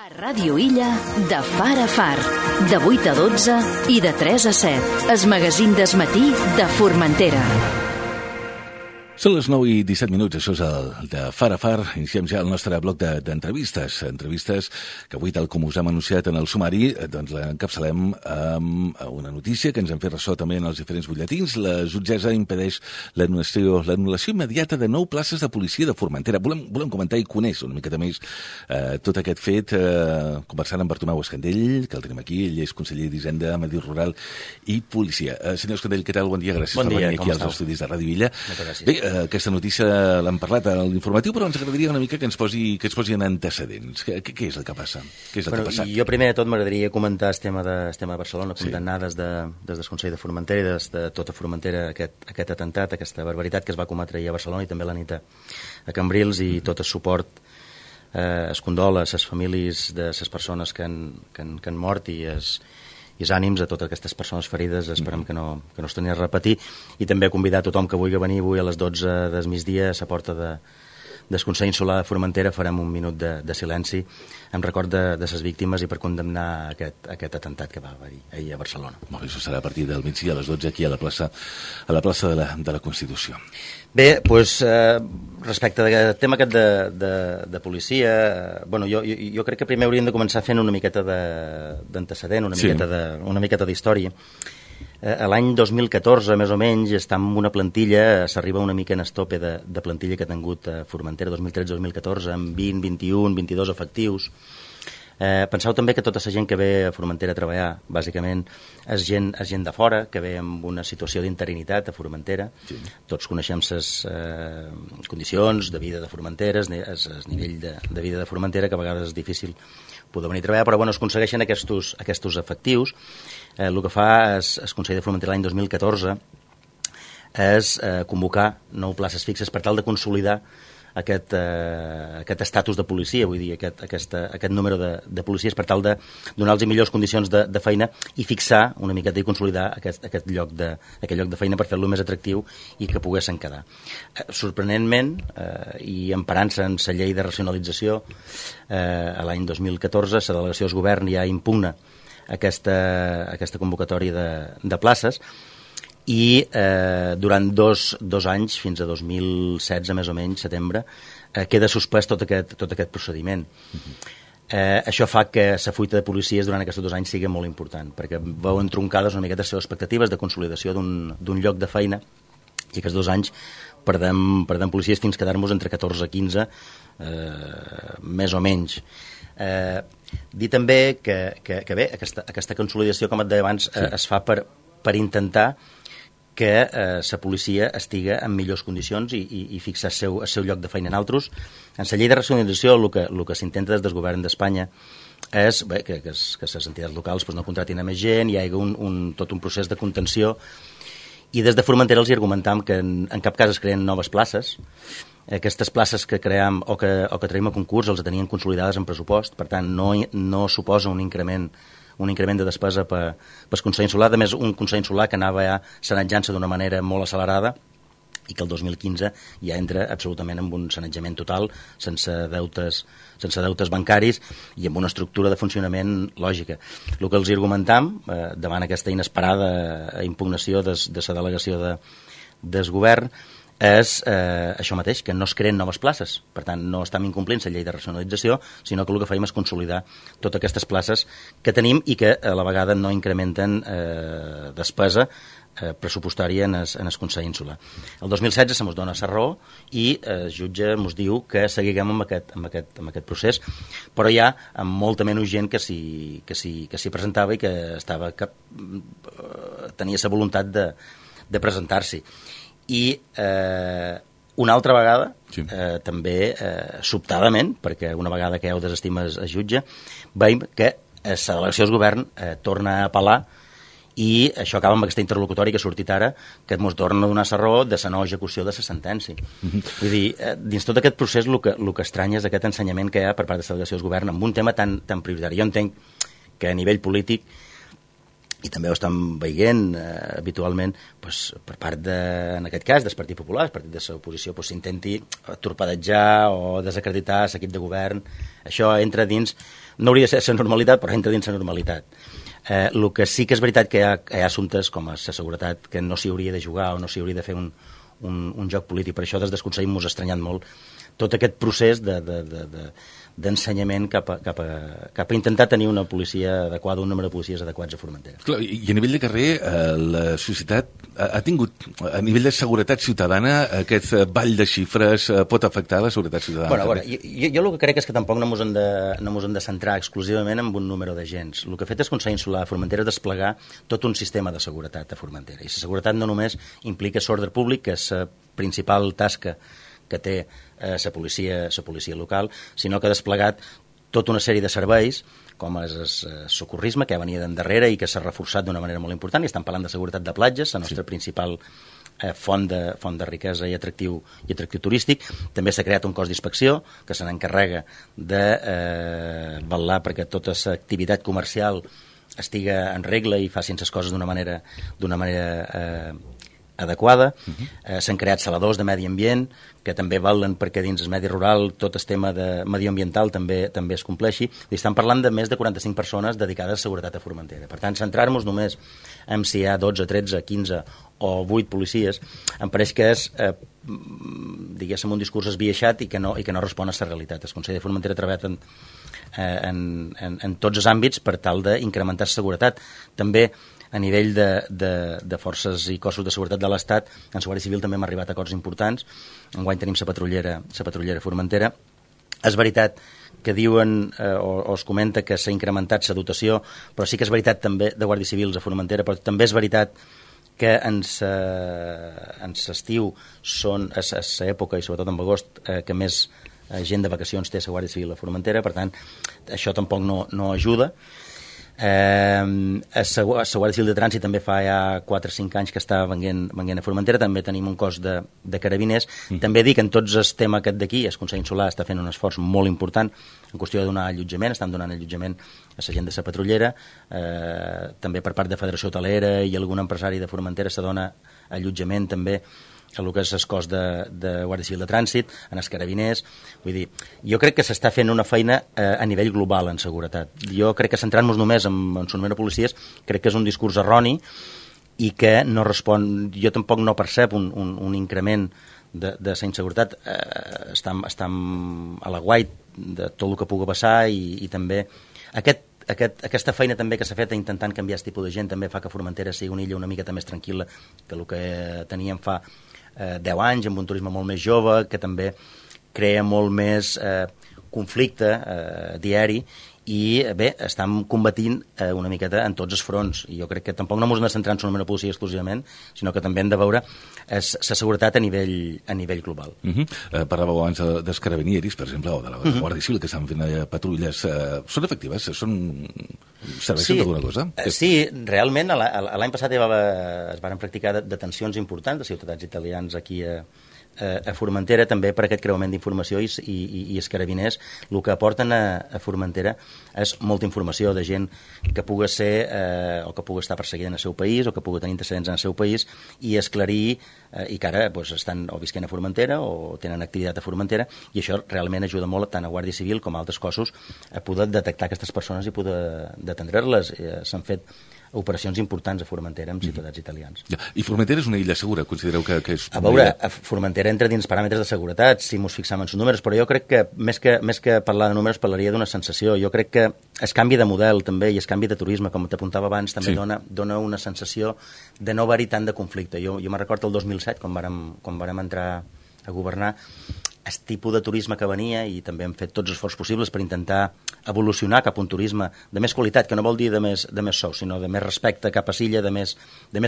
A Ràdio Illa, de far a far, de 8 a 12 i de 3 a 7. Es magazín d'esmatí de Formentera. Són les 9 i 17 minuts, això és el de Far a Far. Iniciem ja el nostre bloc d'entrevistes. Entrevistes que avui, tal com us hem anunciat en el sumari, doncs l'encapçalem amb una notícia que ens han fet ressò també en els diferents butlletins. La jutgessa impedeix l'anul·lació immediata de 9 places de policia de Formentera. Volem comentar i conèixer una miqueta més tot aquest fet, conversant amb Bartomeu Escandell, que el tenim aquí. Ell és conseller d'Hisenda, Medi Rural i Policia. Senyor Escandell, què tal? Bon dia, gràcies per venir aquí als estudis de Ràdio Illa. Moltes gràcies. Bé, aquesta notícia l'hem parlat a l'informatiu, però ens agradaria una mica que ens posi en antecedents. Què és el que passa? Què és el que ha passat? Jo primer de tot m'agradaria comentar el tema de Barcelona, condemnar des del Consell de Formentera i des de tota Formentera aquest atemptat, aquesta barbaritat que es va cometre ahir a Barcelona i també la nit a Cambrils, i tot el suport es condola a les famílies de les persones que han mort i els ànims a totes aquestes persones ferides. Esperem que no es torni a repetir, i també convidar a tothom que vulgui venir avui a les 12 del migdia a la porta del Consell Insular de Formentera. Farem un minut de silenci en record de les víctimes i per condemnar aquest atemptat que va haver ahir a Barcelona. Molt bé, això serà a partir del migdia a les 12 aquí a la plaça de la Constitució. Bé, doncs, respecte al tema aquest de policia, bueno, jo crec que primer hauríem de començar fent una miqueta d'antecedent, una miqueta d'història. A l'any 2014, més o menys, està en una plantilla, s'arriba una mica en el tope de plantilla que ha tingut Formentera 2013-2014, amb 20, 21, 22 efectius. Penseu també que tota la gent que ve a Formentera a treballar, bàsicament, és gent de fora, que ve amb una situació d'interinitat a Formentera. Sí. Tots coneixem les condicions de vida de Formentera, el nivell de vida de Formentera, que a vegades és difícil poder venir a treballar, però bueno, es aconsegueixen aquests efectius. El que fa el Consell de Formentera l'any 2014 és convocar 9 places fixes per tal de consolidar aquest estatus de policia, vull dir, aquest número de policies, per tal de donar-los millors condicions de feina i fixar una miqueta i consolidar aquest lloc de feina per fer-lo més atractiu i que poguessin quedar. Sorprenentment, i emparant-se en la llei de racionalització, a l'any 2014 la delegació del govern ja impugna aquesta convocatòria de places, i durant dos anys, fins a 2016 més o menys, setembre, queda suspès tot aquest procediment. Això fa que la fuita de policies durant aquests 2 anys sigui molt important, perquè veuen troncades una miqueta les seves expectatives de consolidació d'un lloc de feina, i aquests 2 anys perdem policies fins a quedar-nos entre 14 i 15, més o menys. Dir també que bé, aquesta consolidació, com et deia abans, es fa per intentar que la policia estigui en millors condicions i fixar el seu lloc de feina en altres. En la llei de racionalització el que s'intenta des del govern d'Espanya és que les entitats locals no contratin a més gent, hi hagi tot un procés de contenció, i des de Formentera els argumentam que en cap cas es creen noves places. Aquestes places que creem o que traiem a concurs els tenien consolidades en pressupost, per tant no suposa un increment de despesa pel Consell Insular. A més, un Consell Insular que anava ja sanejant-se d'una manera molt accelerada i que el 2015 ja entra absolutament en un sanejament total, sense deutes bancaris i amb una estructura de funcionament lògica. El que els argumentam, davant aquesta inesperada impugnació de la delegació del govern, és això mateix, que no es creen noves places. Per tant, no estem incomplint la llei de racionalització, sinó que el que fem és consolidar totes aquestes places que tenim i que a la vegada no incrementen despesa pressupostària en el Consell Insular. El 2016 se mos dona la raó i el jutge mos diu que seguiguem amb aquest procés, però ja amb molta menys gent que s'hi presentava i que tenia la voluntat de presentar-s'hi. I una altra vegada, també sobtadament, perquè una vegada que heu desestima el jutge, veiem que la delegació del govern torna a apel·lar, i això acaba amb aquesta interlocutòria que ha sortit ara, que ens torna a donar la raó de la no execució de la sentència. Vull dir, dins tot aquest procés el que estranya és aquest ensenyament que hi ha per part de la delegació del govern en un tema tan prioritari. Jo entenc que a nivell polític i també ho estan veient habitualment per part, en aquest cas, del Partit Popular, el partit de l'oposició, s'intenti torpedejar o desacreditar l'equip de govern. Això entra dins, no hauria de ser la normalitat, però entra dins la normalitat. El que sí que és veritat que hi ha assumptes com la seguretat que no s'hi hauria de jugar o no s'hi hauria de fer un joc polític. Per això des del Consell m'ho ha estranyat molt tot aquest procés d'ensenyament cap a intentar tenir una policia adequada, un número de policies adequats a Formentera. Clar, i a nivell de carrer, la societat ha tingut, a nivell de seguretat ciutadana, aquest ball de xifres pot afectar la seguretat ciutadana? Bueno, a veure, jo el que crec és que tampoc no mos hem de centrar exclusivament en un número d'agents. El que ha fet el Consell Insular de Formentera és desplegar tot un sistema de seguretat a Formentera. I la seguretat no només implica l'ordre públic, que és la principal tasca que té la policia local, sinó que ha desplegat tota una sèrie de serveis, com és el socorrisme, que venia d'endarrere i que s'ha reforçat d'una manera molt important, i estem parlant de seguretat de platges, la nostra principal font de riquesa i atractiu turístic. També s'ha creat un cos d'inspecció que se n'encarrega de vetllar perquè tota l'activitat comercial estiga en regla i facin les coses d'una manera adequada. S'han creat saladors de medi ambient que també valen perquè dins el medi rural tot el tema de medioambiental també es compleixi. I estan parlant de més de 45 persones dedicades a seguretat a Formentera. Per tant, centrar-nos només en si hi ha 12, 13, 15 o 8 policies em pareix que és diguéssim un discurs esbiaixat i que no respon a la realitat. El Consell de Formentera ha treballat en tots els àmbits per tal d'incrementar la seguretat. També a nivell de forces i cossos de seguretat de l'Estat, en la Guàrdia Civil també hem arribat a acords importants. Enguany tenim la patrullera Formentera. És veritat que diuen o es comenta que s'ha incrementat la dotació, però sí que és veritat també de Guàrdia Civils a Formentera, però també és veritat que en l'estiu són a l'època, i sobretot en agost, que més gent de vacacions té la Guàrdia Civil a Formentera. Per tant, això tampoc no ajuda. La Guàrdia Civil de Trànsit també fa ja 4 o 5 anys que està venint a Formentera. També tenim un cos de carabiners. També dic, en tots el tema aquest d'aquí, el Consell Insular està fent un esforç molt important en qüestió de donar allotjament. Estan donant allotjament a la gent de la patrullera, també per part de Federació Hotelera i algun empresari de Formentera se dona allotjament també a el que és el cos de Guàrdia Civil de Trànsit, en els carabiners. Vull dir, jo crec que s'està fent una feina a nivell global en seguretat. Jo crec que centrant-nos només en el número de policies crec que és un discurs erroni i que no respon... Jo tampoc no percep un increment de la inseguretat. Estem a la guait de tot el que pugui passar i també aquesta feina també que s'ha fet intentant canviar aquest tipus de gent també fa que Formentera sigui una illa una miqueta més tranquil·la que el que teníem fa 10 anys, amb un turisme molt més jove, que també crea molt més conflicte diari i bé, estem combatint una miqueta en tots els fronts, i jo crec que tampoc no ens hem de centrar en la número de policia exclusivament, sinó que també hem de veure la seguretat a nivell global. Parlàveu abans dels carabinieris, per exemple, o de la Guàrdia Civil, que estan fent patrulles. Són efectives? Serveixen d'alguna cosa? Sí, realment l'any passat es van practicar detencions importants de ciutadans italians aquí a Formentera, també per aquest creuament d'informació, i els carabiners el que aporten a Formentera és molta informació de gent que pugui ser o que pugui estar perseguida en el seu país o que pugui tenir antecedents en el seu país, i esclarir i que ara estan o visquent a Formentera o tenen activitat a Formentera, i això realment ajuda molt tant a Guàrdia Civil com a altres cossos a poder detectar aquestes persones i poder detendre-les. S'han fet operacions importants a Formentera amb ciutadans italians. I Formentera és una illa segura? Considereu que és... A veure, Formentera entra dins paràmetres de seguretat, si ens fixem en els números, però jo crec que més que parlar de números parlaria d'una sensació. Jo crec que el canvi de model també i el canvi de turisme, com t'apuntava abans, també dona una sensació de no haver-hi tant de conflicte. Jo me'n recordo el 2007, quan vàrem entrar a governar, el tipus de turisme que venia, i també hem fet tots els esforços possibles per intentar evolucionar cap a un turisme de més qualitat, que no vol dir de més sou, sinó de més respecte cap a l'illa, de més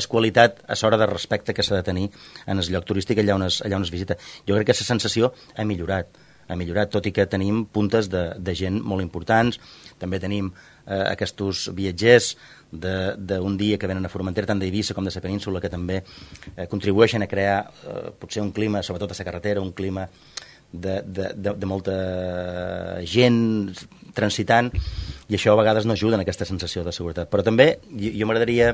qualitat a l'hora de respecte que s'ha de tenir en el lloc turístic allà on es visita. Jo crec que aquesta sensació ha millorat, tot i que tenim puntes de gent molt importants. També tenim aquests viatgers d'un dia que venen a Formentera, tant d'Eivissa com de la península, que també contribueixen a crear potser un clima, sobretot a la carretera, un clima de molta gent transitant, i això a vegades no ajuda en aquesta sensació de seguretat. Però també jo m'agradaria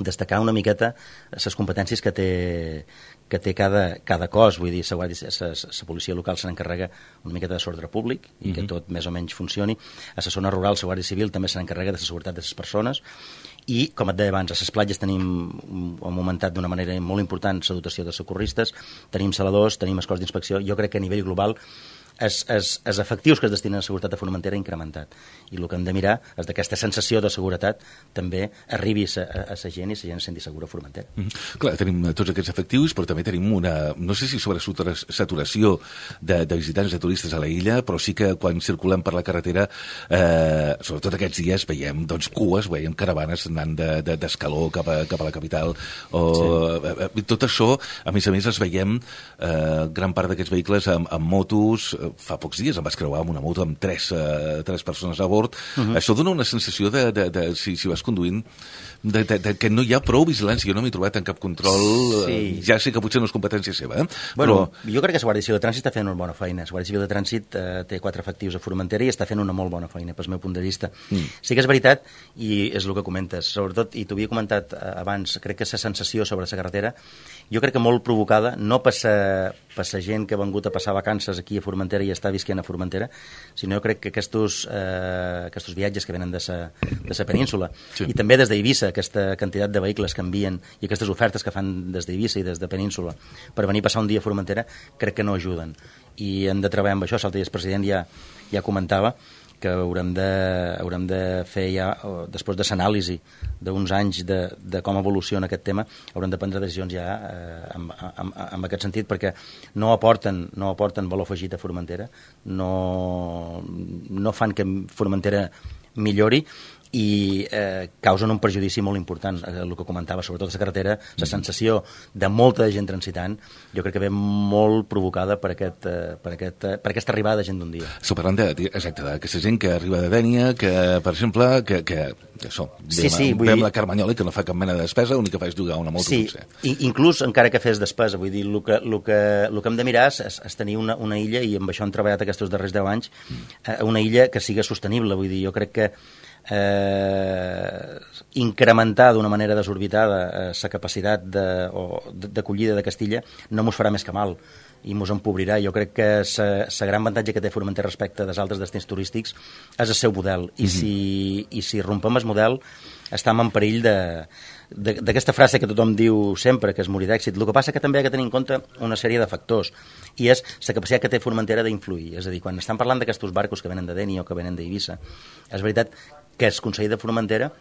destacar una miqueta les competències que té cada cos. Vull dir, la policia local se n'encarrega una miqueta de l'ordre públic i que tot més o menys funcioni. A la zona rural, la Guàrdia Civil també se n'encarrega de la seguretat de les persones. I, com et deia abans, a les platges tenim, hem augmentat d'una manera molt important la dotació de socorristes, tenim saladors, tenim el cos d'inspecció. Jo crec que a nivell global els efectius que es destinen a seguretat de Formentera ha incrementat. I el que hem de mirar és d'aquesta sensació de seguretat també arribi a la gent i la gent es senti segura a Formentera. Clar, tenim tots aquests efectius, però també tenim una, no sé si sobre saturació de visitants, de turistes a la illa, però sí que quan circulem per la carretera, sobretot aquests dies, veiem cues, veiem caravanes anant d'Escaló cap a la capital. Tot això, a més, es veiem gran part d'aquests vehicles amb motos. Fa pocs dies em vaig creuar amb una moto amb tres persones a bord. Això dona una sensació si vas conduint, que no hi ha prou vigilància. Jo no m'he trobat en cap control. Ja sé que potser no és competència seva, però jo crec que la Guàrdia Civil de Trànsit està fent una bona feina. La Guàrdia Civil de Trànsit té 4 efectius a Formentera i està fent una molt bona feina, pel meu punt de vista. Sí que és veritat, i és el que comentes, sobretot, i t'ho havia comentat abans, crec que la sensació sobre la carretera, jo crec que molt provocada, no per la gent que ha vengut a passar vacances aquí a Formentera i està visquent a Formentera, sinó jo crec que aquests viatges que venen de la península, i també des d'Eivissa, aquesta quantitat de vehicles que envien i aquestes ofertes que fan des d'Eivissa i des de península per venir a passar un dia a Formentera, crec que no ajuden. I hem de treballar amb això. L'altre dia el president ja comentava que haurem de fer ja, després de l'anàlisi d'uns anys de com evoluciona aquest tema, haurem de prendre decisions ja en aquest sentit, perquè no aporten valor afegit a Formentera, no fan que Formentera millori i causen un perjudici molt important. El que comentava, sobretot a la carretera, la sensació de molta gent transitant, jo crec que ve molt provocada per aquesta arribada de gent d'un dia. Estic parlant d'aquesta gent que arriba de Dénia, que, per exemple, veiem la Carmanyola, que no fa cap mena de despesa, l'únic que fa és llogar una moto. Sí, inclús encara que fes despesa, vull dir, el que hem de mirar és tenir una illa, i amb això hem treballat aquests darrers 10 anys, una illa que siga sostenible. Vull dir, jo crec que incrementar d'una manera desorbitada la capacitat d'acollida de Castilla no mos farà més que mal i mos empobrirà. Jo crec que la gran avantatge que té Formentera respecte dels altres destins turístics és el seu model, i si rompem el model estem en perill d'aquesta frase que tothom diu sempre, que és morir d'èxit. El que passa que també ha de tenir en compte una sèrie de factors, i és la capacitat que té Formentera d'influir. És a dir, quan estem parlant d'aquests barcos que venen de Dénia o que venen d'Eivissa, és veritat que el Consell de Formentera,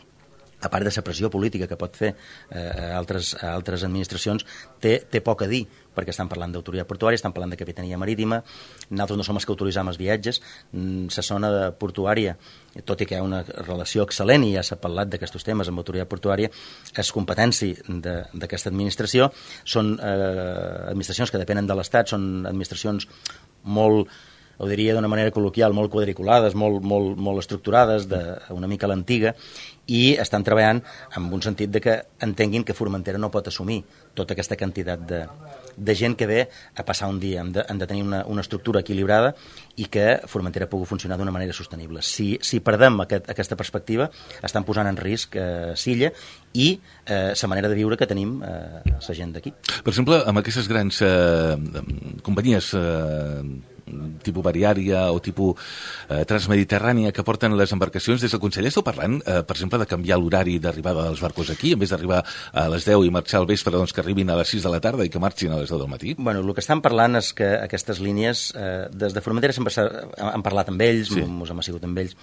a part de la pressió política que pot fer a altres administracions, té poc a dir, perquè estan parlant d'autoritat portuària, estan parlant de capitania marítima, nosaltres no som els que autoritzam els viatges, la zona portuària, tot i que hi ha una relació excel·lent i ja s'ha parlat d'aquests temes amb autoritat portuària, és competència d'aquesta administració, són administracions que depenen de l'Estat, són administracions molt, ho diria d'una manera col·loquial, molt quadriculades, molt estructurades, una mica a l'antiga, i estan treballant en un sentit de que entenguin que Formentera no pot assumir tota aquesta quantitat de gent que ve a passar un dia. Han de tenir una estructura equilibrada i que Formentera pugui funcionar d'una manera sostenible. Si perdem aquesta perspectiva, estan posant en risc l'illa i la manera de viure que tenim la gent d'aquí. Per exemple, amb aquestes grans companyies tipus variària o tipus transmediterrània que porten les embarcacions, des del Consell esteu parlant, per exemple, de canviar l'horari d'arribada dels barcos aquí, en vez d'arribar a les 10 i marxar al vespre, doncs que arribin a les 6 de la tarda i que marxin a les 10 del matí? Bueno, el que estan parlant és que aquestes línies, des de Formentera sempre hem parlat amb ells, mos hem assegut amb ells.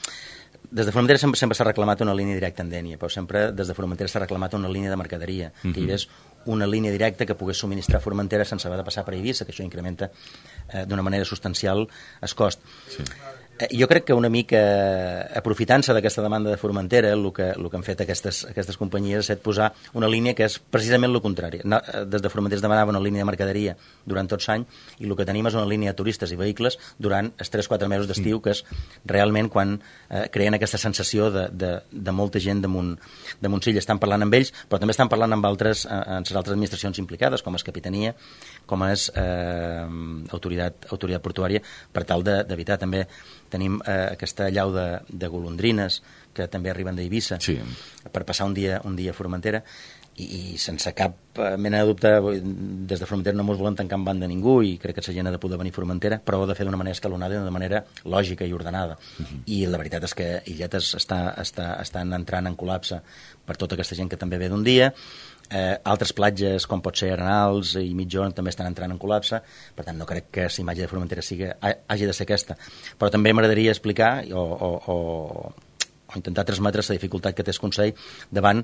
Des de Formentera sempre s'ha reclamat una línia directa en Dénia, però sempre des de Formentera s'ha reclamat una línia de mercaderia, que hi hagués una línia directa que pogués subministrar Formentera sense haver de passar per Eivissa, que això incrementa d'una manera substancial el cost. Sí. Jo crec que una mica aprofitant-se d'aquesta demanda de Formentera, el que han fet aquestes companyies ha estat posar una línia que és precisament el contrari. Des de Formentera es demanava una línia de mercaderia durant tot l'any i el que tenim és una línia de turistes i vehicles durant els 3-4 mesos d'estiu, que és realment quan creen aquesta sensació de molta gent damunt l'illa. Estan parlant amb ells, però també estan parlant amb les altres administracions implicades, com és Capitania, com és autoritat portuària, per tal d'evitar també tenim aquesta allau de golondrines que també arriben d'Eivissa per passar un dia a Formentera, i sense cap mena de dubte, des de Formentera no ens volen tancar en banda ningú, i crec que la gent ha de poder venir a Formentera, però ho ha de fer d'una manera escalonada i d'una manera lògica i ordenada. I la veritat és que Illetes estan entrant en col·lapse per tota aquesta gent que també ve d'un dia. Altres platges, com pot ser Arenals i Mitjón, també estan entrant en col·lapse. Per tant, no crec que la imatge de Formentera hagi de ser aquesta. Però també m'agradaria explicar o intentar transmetre la dificultat que té el Consell davant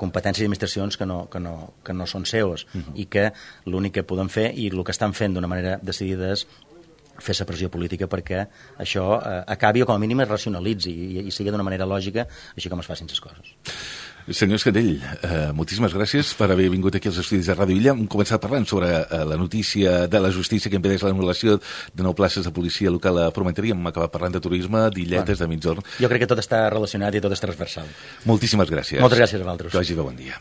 competències i administracions que no són seus, i que l'únic que poden fer, i el que estan fent d'una manera decidida, és fer la pressió política perquè això acabi, o com a mínim es racionalitzi i sigui d'una manera lògica, així com es facin les coses. Senyor Escandell, moltíssimes gràcies per haver vingut aquí als estudis de Ràdio Illa. Hem començat parlant sobre la notícia de la justícia que impedeix l'anul·lació de 9 places de policia local a Formentera, i hem acabat parlant de turisme, d'Illetes, de Migjorn. Jo crec que tot està relacionat i tot és transversal. Moltíssimes gràcies. Moltes gràcies a vosaltres. Que vagi bé, bon dia.